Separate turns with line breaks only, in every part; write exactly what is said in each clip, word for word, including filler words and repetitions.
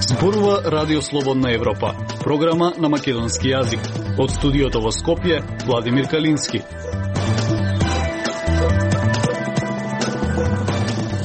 Зборува Радио Слободна Европа, програма на македонски јазик. Од студиото во Скопје, Владимир Калински.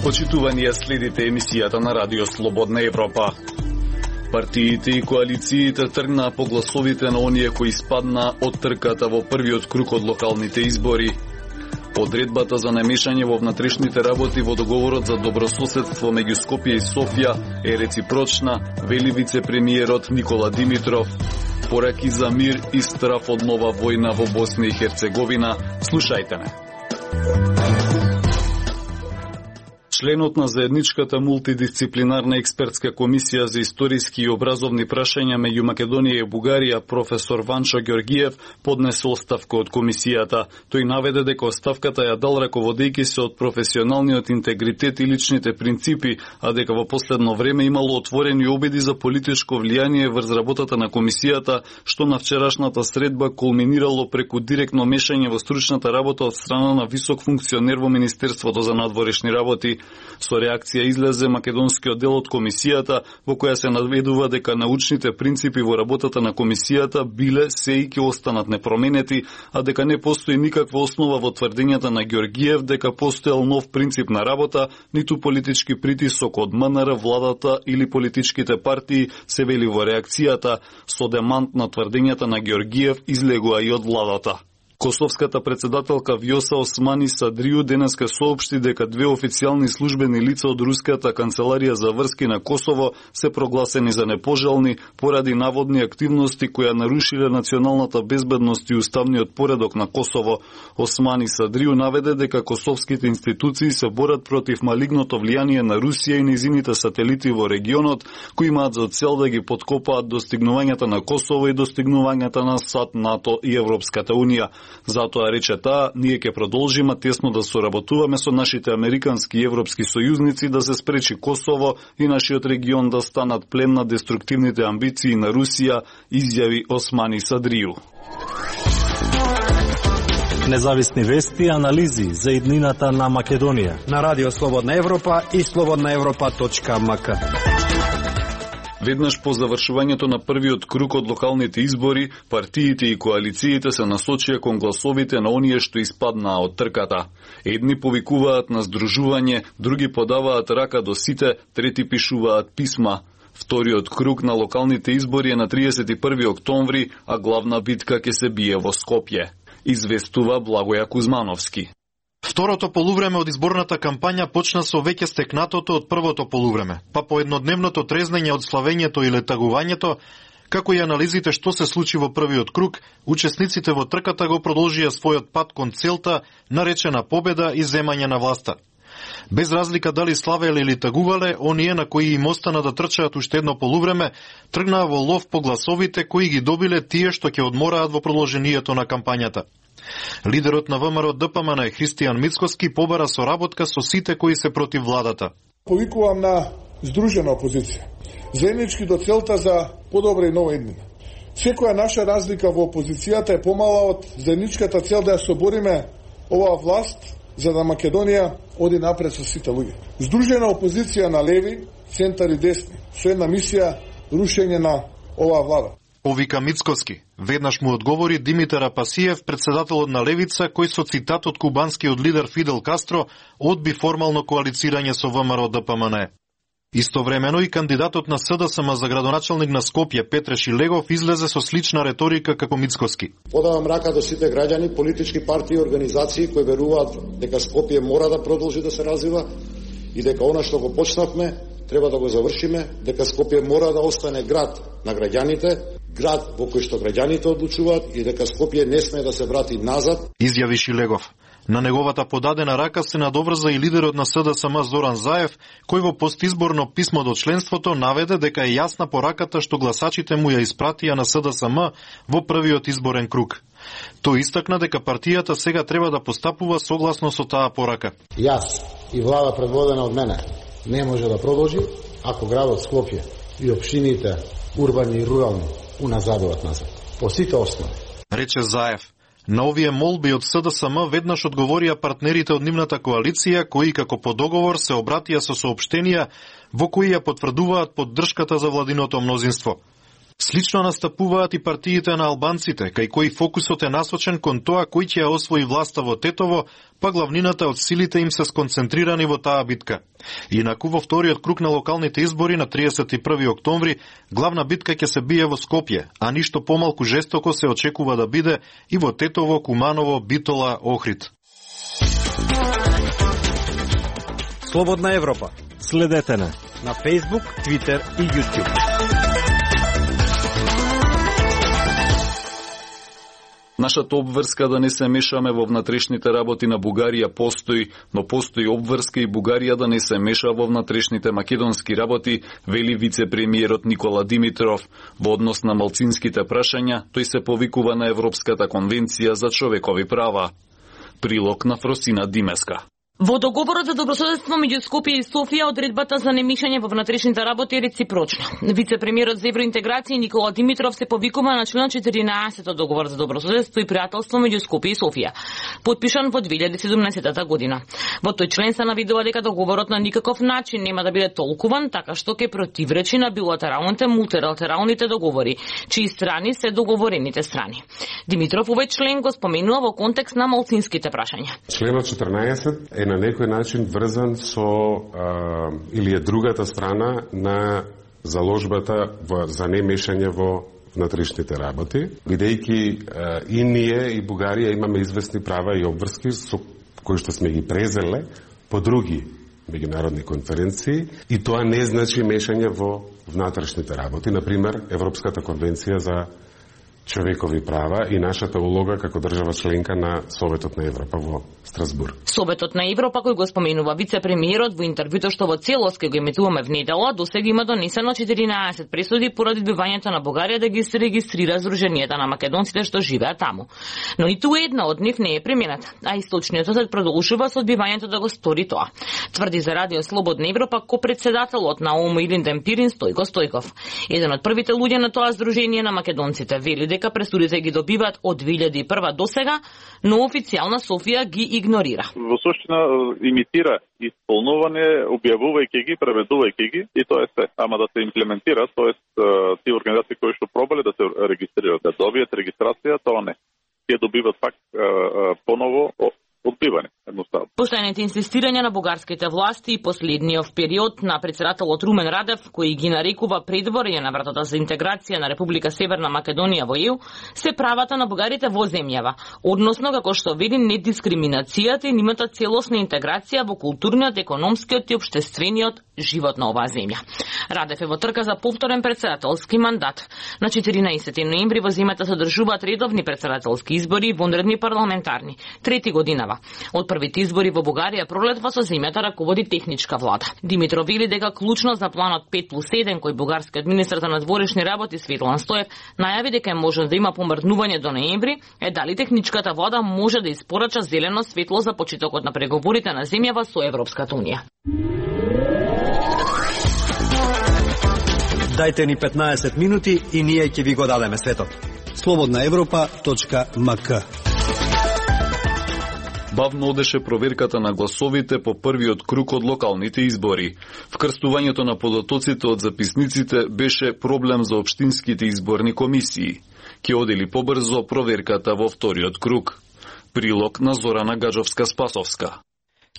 Почитувани ја следите емисијата на Радио Слободна Европа. Партиите и коалициите тргнаа по гласовите на оние кои испаднаа од трката во првиот круг од локалните избори. Одредбата за намешање во внатрешните работи во договорот за добрососедство меѓу Скопје и Софија е реципрочна, вели вице-премиерот Никола Димитров. Пораки за мир и страф од нова војна во Босна и Херцеговина. Слушајте ме. Членот на заедничката мултидисциплинарна експертска комисија за историски и образовни прашања меѓу Македонија и Бугарија, професор Ванчо Ѓоргиев, поднесе оставка од комисијата. Тој наведе дека оставката ја дал раководејќи се од професионалниот интегритет и личните принципи, а дека во последно време имало отворени обиди за политичко влијание врз работата на комисијата, што на вчерашната средба кулминирало преку директно мешање во стручната работа од страна на висок функционер во Министерството за надворешни работи. Со реакција излезе македонскиот дел од комисијата, во која се наведува дека научните принципи во работата на комисијата биле се и ќе останат непроменети, а дека не постои никаква основа во тврдењата на Ѓоргиев дека постоел нов принцип на работа, ниту политички притисок од МНР, владата или политичките партии, се вели во реакцијата. Со демант на тврдењата на Ѓоргиев излегува и од владата. Косовската председателка Вјоса Османи Садрију денеска соопшти дека две официјални службени лица од Руската канцеларија за врски на Косово се прогласени за непожелни поради наводни активности која нарушиле националната безбедност и уставниот поредок на Косово. Османи Садрију наведе дека косовските институции се борат против малигното влијание на Русија и нејзините сателити во регионот, кои имаат за цел да ги поткопаат достигнувањата на Косово и достигнувањата на САД, НАТО и Европската унија. Затоа, рече таа, ние ќе продолжиме тесно да соработуваме со нашите американски и европски сојузници да се спречи Косово и нашиот регион да станат плен на деструктивните амбиции на Русија, изјави Османи Садрију.
Независни вести и анализи за иднината на Македонија
на Радио Слободна Европа и слободна европа точка ем ка.
Веднаш по завршувањето на првиот круг од локалните избори, партиите и коалициите се насочија кон гласовите на оние што испаднаа од трката. Едни повикуваат на здружување, други подаваат рака до сите, трети пишуваат писма. Вториот круг на локалните избори е на триесет и први октомври, а главна битка ќе се бие во Скопје. Известува Благоја Кузмановски.
Второто полувреме од изборната кампања почна со веќе стекнатото од првото полувреме, па по еднодневното трезнење од славењето и летагувањето, како и анализите што се случи во првиот круг, учесниците во трката го продолжија својот пат кон целта, наречена победа и земање на власта. Без разлика дали славеле или тагувале, оние на кои им остана да трчаат уште едно полувреме, тргнаа во лов по гласовите кои ги добиле тие што ќе одмораат во продолжението на кампањата. Лидерот на ВМРО Д П М Н Христијан Мицкоски побара соработка со сите кои се против владата.
Повикувам на здружена опозиција, заеднички до целта за подобра и нова иднина. Секоја наша разлика во опозицијата е помала од заедничката цел да ја собориме оваа власт за да Македонија оди напред со сите луѓе. Здружена опозиција на леви, центар и десни, со една мисија рушење на оваа влада.
Повика Мицкоски. Веднаш му одговори Димитар Апасиев, председателот на Левица, кој со цитат од кубанскиот лидер Фидел Кастро одби формално коалицирање со ВМРО Д П М Н. Истовремено и кандидатот на С Д С М за градоначалник на Скопје Петре Шилегов излезе со слична реторика како Мицкоски.
Подавам рака до сите граѓани, политички партии и организации кои веруваат дека Скопје мора да продолжи да се развива и дека она што го почнавме треба да го завршиме, дека Скопје мора да остане град на граѓаните, град во кој што граѓаните одлучуваат и дека Скопје не сме да се врати назад,
изјави Шилегов. На неговата подадена рака се надоврза и лидерот на С Д С М Зоран Заев, кој во постизборно писмо до членството наведе дека е јасна пораката што гласачите му ја испратија на С Д С М во првиот изборен круг. Тој истакна дека партијата сега треба да постапува согласно со таа порака.
Јас и влада предводена од мене не може да продолжи ако градот Скопје и општините урбани и рурални уназадуваат назад. По сите основи.
Рече Заев. На овие молби од С Д С М веднаш одговорија партнерите од нивната коалиција, кои како по договор се обратија со соопштенија во кои ја потврдуваат поддршката за владиното мнозинство. Слично настапуваат и партиите на албанците, кај кои фокусот е насочен кон тоа кој ќе ја освои власта во Тетово, па главнината од силите им се сконцентрирани во таа битка. Инаку во вториот круг на локалните избори на триесет и први октомври, главна битка ќе се бие во Скопје, а ништо помалку жестоко се очекува да биде и во Тетово, Куманово, Битола, Охрид.
Слободна Европа.
Следете на
на Facebook, Twitter и YouTube.
Нашата обврска да не се мешаме во внатрешните работи на Бугарија постои, но постои обврска и Бугарија да не се меша во внатрешните македонски работи, вели вице-премиерот Никола Димитров. Во однос на малцинските прашања, тој се повикува на Европската конвенција за човекови права. Прилог на Фросина Димеска.
Во договорот за добрососедство меѓу Скопје и Софија, одредбата за немешање во внатрешните работи е реципрочна. Вице-премиерот за евроинтеграција Никола Димитров се повикува на член четиринаесет од договор за добрососедство и пријателство меѓу Скопје и Софија, подпишан во две илјади и седумнаесета година. Во тој член се навидува дека договорот на никаков начин нема да биде толкуван така што ќе противречи на билатералните мултилатералните договори, чии страни се договорените страни. Димитров овој член го споменува во контекст на малцинските прашања.
Членот четрнаесет е на некој начин врзан со а, или е другата страна на заложбата во, за немешање во внатрешните работи, бидејќи а, и ние и Бугарија имаме известни права и обврски со кои што сме ги презеле по други меѓународни конференции, и тоа не значи мешање во внатрешните работи, например Европската конвенција за човекови права и нашата улога како држава членка на Советот на Европа во Страсбург.
Советот на Европа, кој го споменува вице-премиерот во интервјуто што во целост ќе го емитуваме внедела, досега има донесено четиринаесет пресуди поради одбивањето на Бугарија да ги се регистрира Сдруженијата на македонците што живеат таму. Но ниту една од нив не е примената, а источниот сосед продолжува со одбивањето да го стори тоа. Тврди за Радио Слободна Европа ко-председателот на О М Илинден Пирин Стојко Стојков. Еден од првите луѓе на тоа Сдружение на македонците вели дека пресудите ги добиваат од две илјади и прва досега, но официјална Софија ги игнорира.
Во суштина имитира исполнување, објавувајќи ги, преведувајќи ги, и тоа е се. Ама да се имплементира, тоест тие организации кои што пробале да се регистрираат, да добијат регистрација, тоа не. Тие добиваат пак поново одбивање, едноставно.
Постојаните инсистирања на бугарските власти и последниот период на председателот Румен Радев, кој ги нарекува предворје на вратата за интеграција на Република Северна Македонија во Е Ју, се правата на бугарите во земјава, односно како што вели недискриминацијата и нивната целосна интеграција во културниот, економскиот и општествениот живот на оваа земја. Радев е во трка за повторен председателски мандат. На четиринаесети ноември во земјата се одржуваат редовни председателски избори и вонредни парламентарни, трети годинава. Од првите избори во Бугарија пролетва со земјата раководи техничка влада. Димитров вели дека клучно за планот пет плюс еден кој бугарскиот министер за надворешни работи Светлан Стоев најави дека е можно да има помрднување до ноември, е дали техничката влада може да испорача зелено светло за почетокот на преговорите на земјава со Европската унија.
Дајте ни петнаесет минути и ние ќе ви го дадеме светот. слободна европа точка ем ка.
Бавно одеше проверката на гласовите по првиот круг од локалните избори. Вкрстувањето на податоците од записниците беше проблем за општинските изборни комисии. Ке одели побрзо проверката во вториот круг. Прилог на Зорана Гаджовска-Спасовска.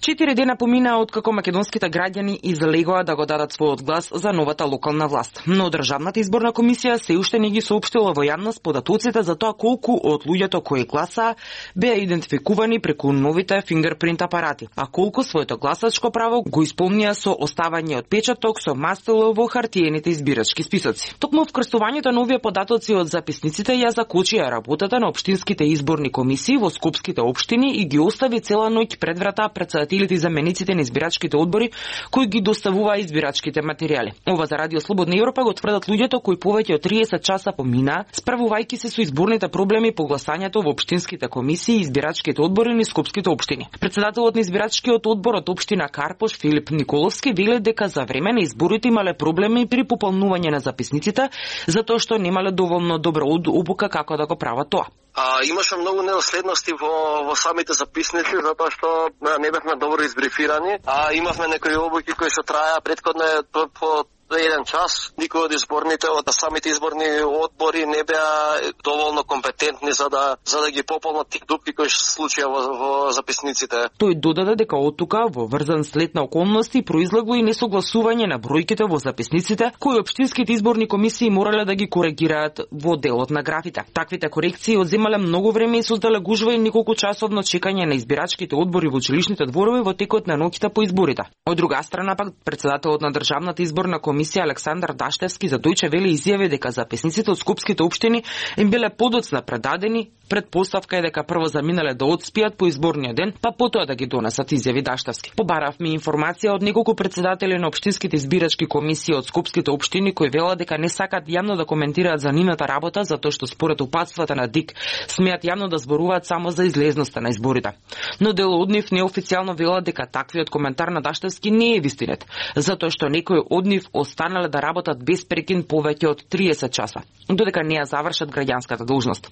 Четири дена поминаа откако македонските граѓани излегоа да го дадат својот глас за новата локална власт. Но Државната изборна комисија се уште не ги соопштила во јавност податоците за тоа колку од луѓето кои гласаа беа идентификувани преку новите фингерпринт апарати, а колку своето гласачко право го исполнија со оставање од печаток со мастило во хартиените избирачки списоци. Токму вкрстувањето на овие податоци од записниците ја закочија работата на општинските изборни комисии во скопските општини и ги остави цела ноќ пред врата председателите и замениците на избирачките одбори кои ги доставуваа избирачките материјали. Ова за Радио Слободна Европа го тврдат луѓето кои повеќе од триесет часа поминаа, справувајќи се со изборните проблеми по гласањето во општинските комисии и избирачките одбори на скопските општини. Председателот на избирачкиот одбор од општина Карпош Филип Николовски вели дека за време на изборите имале проблеми при пополнување на записниците затоа што немале доволно добра обука како да го прават тоа.
А, имаше многу недоследности во, во самите записници, затоа што не бевме добро избрифирани. А имавме некои обуки кои што траја претходно по, по еден час. Никој од изборните, од самите изборни одбори не беа доволно компетентни за да за да ги пополнат тие дупки кои се случија во, во записниците.
Тој додаде дека оттука во врзан след на околности произлегло и несогласување на бројките во записниците, кои општинските изборни комисии морале да ги коригираат во делот на графите. Таквите корекции одземале многу време и создале гужва и неколку часовно чекање на избирачките одбори во училишните дворови во текот на ноќта по изборите. Од друга страна пак председателот на Државната изборна комисија Александар Даштевски за Дојче Веле изјави дека записниците од скопските општини им биле подоцна предадени. Предпоставка е дека прво заминале да одспијат по изборниот ден, па потоа да ги донесат, изјави Даштевски. Побаравме информација од неколку председатели на општинските избирачки комисии од скопските општини кои велат дека не сакат јавно да коментираат за нивната работа затоа што според упатствата на ДИК смеат јавно да зборуваат само за излезноста на изборите. Но дел од нив неофицијално велат дека таквиот коментар на Даштевски не е вистинет, затоа што некои од нив останале да работат без прекин повеќе од триесет часа, додека не ја завршат граѓанската должност.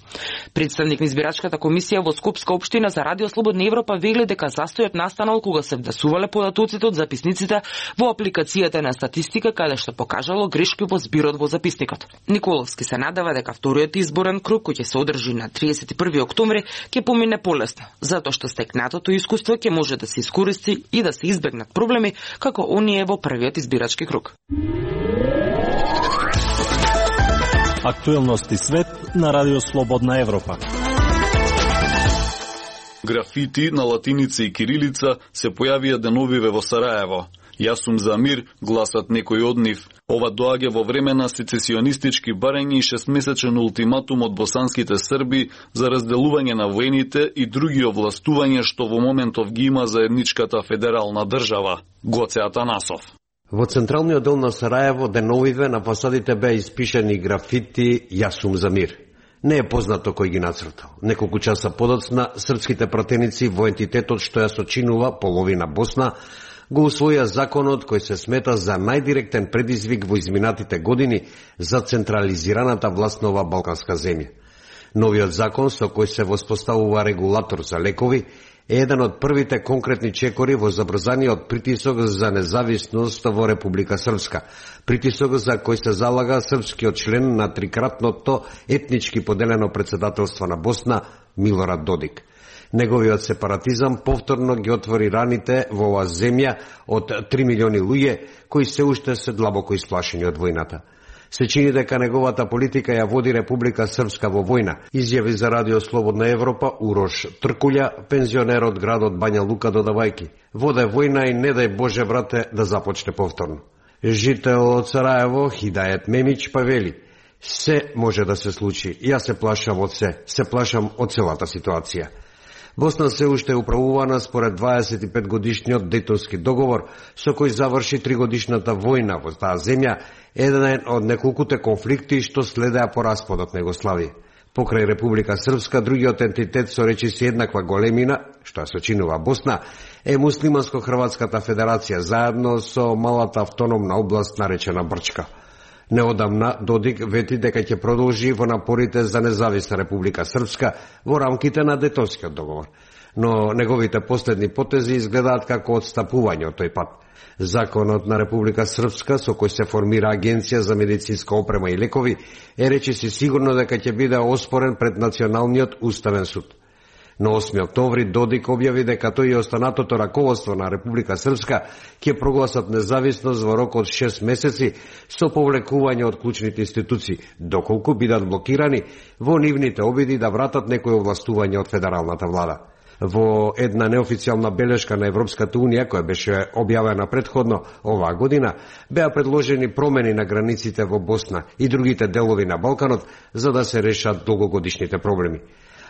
Представник на избирачката комисија во Скопска општина за Радио Слободна Европа вели дека застојот настанал кога се внесувале податоците од записниците во апликацијата на статистика, каде што покажало грешки во збирот во записникот. Николовски се надева дека вториот изборен круг кој ќе се одржи на триесет и први октомври ќе помине полесно, затоа што стекнатото искуство ќе може да се искористи и да се избегнат проблеми како оние во првиот избирачки круг.
Актуелности свет на Радио Слободна Европа.
Графити на латиница и кирилица се појавија деновиве во Сараево. Јас сум за мир, гласат некои од нив. Ова доаѓа во време на сецесионистички барања и шестмесечен ултиматум од босанските срби за разделување на воените и други овластувања што во моментов ги има заедничката федерална држава. Гоце Атанасов.
Во централниот дел на Сараево деновиве на фасадите беа испишани графити «Јас сум за мир». Не е познато кој ги нацртал. Неколку часа подоцна, српските пратеници во ентитетот што ја сочинува половина Босна го усвоја законот кој се смета за најдиректен предизвик во изминатите години за централизираната власт на ова балканска земја. Новиот закон со кој се воспоставува регулатор за лекови е еден од првите конкретни чекори во забрзаниот притисок за независност во Република Српска. Притисок за кој се залага српскиот член на трикратното етнички поделено председателство на Босна Милорад Додик. Неговиот сепаратизам повторно ги отвори раните во оваа земја од три милиони луѓе кои се уште се длабоко исплашени од војната. Се чини дека неговата политика ја води Република Српска во војна, изјави за Радио Слободна Европа Урош Тркулја, пензионер од градот Бања Лука, додавајки: воде војна и не дај Боже, брате, да започне повторно. Жител од Сараево, Хидајет Мемич, па вели: се може да се случи, јас се плашам од се, се плашам од целата ситуација. Босна се уште е управувана според дваесет и пет годишниот Дејтонски договор, со кој заврши тригодишната војна во таа земја, еден од неколкуте конфликти што следеа по распадот на Југославија. Покрај Република Српска, другиот ентитет со речиси еднаква големина, што ја сочинува Босна, е Муслиманско-Хрватската федерација, заедно со малата автономна област наречена Брчка. Неодамна Додик вети дека ќе продолжи во напорите за независна Република Српска во рамките на Дејтонскиот договор, но неговите последни потези изгледаат како отстапување од тој пат. Законот на Република Српска, со кој се формира Агенција за медицинска опрема и лекови, е речиси сигурно дека ќе биде оспорен пред Националниот уставен суд. На осми октомври Додик објави дека тој и останатото раководство на Република Српска ќе прогласат независност во рок од шест месеци со повлекување од клучните институции, доколку бидат блокирани во нивните обиди да вратат некои овластување од федералната влада. Во една неофицијална белешка на Европската Унија, која беше објавена предходно оваа година, беа предложени промени на границите во Босна и другите делови на Балканот за да се решат долгогодишните проблеми.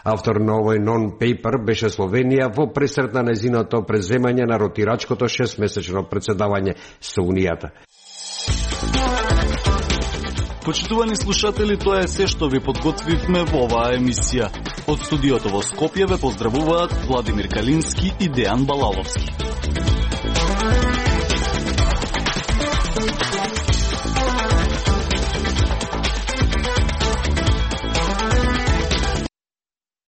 Автор на овој нон-пейпер беше Словенија во пресрет на незиното преземање на ротирачкото шестмесечно председавање со Унијата.
Почитувани слушатели, тоа е се што ви подготвивме во оваа емисија. Од студиото во Скопје ве поздравуваат Владимир Калински и Дејан Балаловски.